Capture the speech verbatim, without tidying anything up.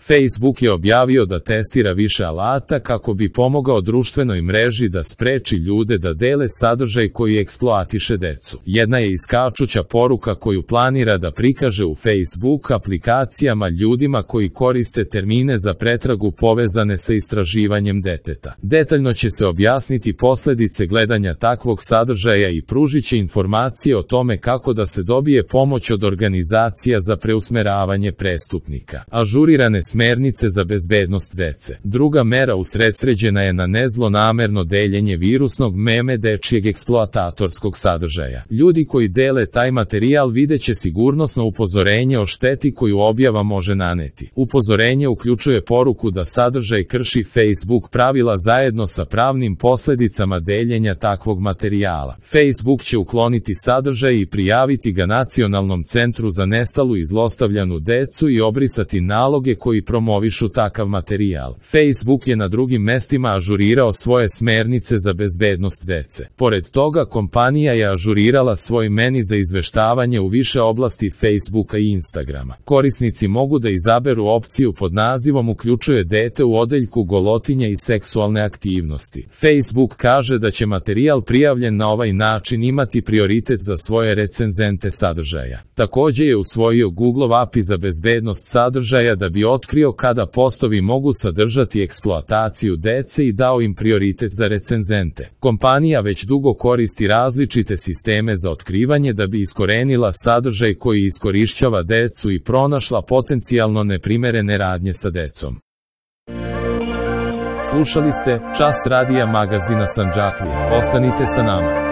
Facebook je objavio da testira više alata kako bi pomogao društvenoj mreži da spreči ljude da dele sadržaj koji eksploatiše decu. Jedna je iskačuća poruka koju planira da prikaže u Facebook aplikacijama ljudima koji koriste termine za pretragu povezane sa istraživanjem deteta. Detaljno će se objasniti posledice gledanja takvog sadržaja i pružit će informacije o tome kako da se dobije pomoć od organizacija za preusmeravanje prestupnika. Ažurirane smernice za bezbednost dece. Druga mera usredsređena je na nezlonamerno deljenje virusnog meme dečijeg eksploatatorskog sadržaja. Ljudi koji dele taj materijal videće sigurnosno upozorenje o šteti koju objava može naneti. Upozorenje uključuje poruku da sadržaj krši Facebook pravila zajedno sa pravnim posledicama deljenja takvog materijala. Facebook će ukloniti sadržaj i prijaviti ga Nacionalnom centru za nestalu i zlostavljanu decu i obrisati naloge koji promovišu takav materijal. Facebook je na drugim mestima ažurirao svoje smernice za bezbednost dece. Pored toga, kompanija je ažurirala svoj meni za izveštavanje u više oblasti Facebooka i Instagrama. Korisnici mogu da izaberu opciju pod nazivom "Uključuje dete u odeljku golotinja i seksualne aktivnosti". Facebook kaže da će materijal prijavljen na ovaj način imati prioritet za svoje recenzente sadržaja. Takođe je usvojio Google A P I za bezbednost sadržaja da bi otkrio kada postovi mogu sadržati eksploataciju dece i dao im prioritet za recenzente. Kompanija već dugo koristi različite sisteme za otkrivanje da bi iskorenila sadržaj koji iskorišćava decu i pronašla potencijalno neprimerene radnje sa decom. Slušali ste Čas radija magazina Sandžaklija. Ostanite sa nama.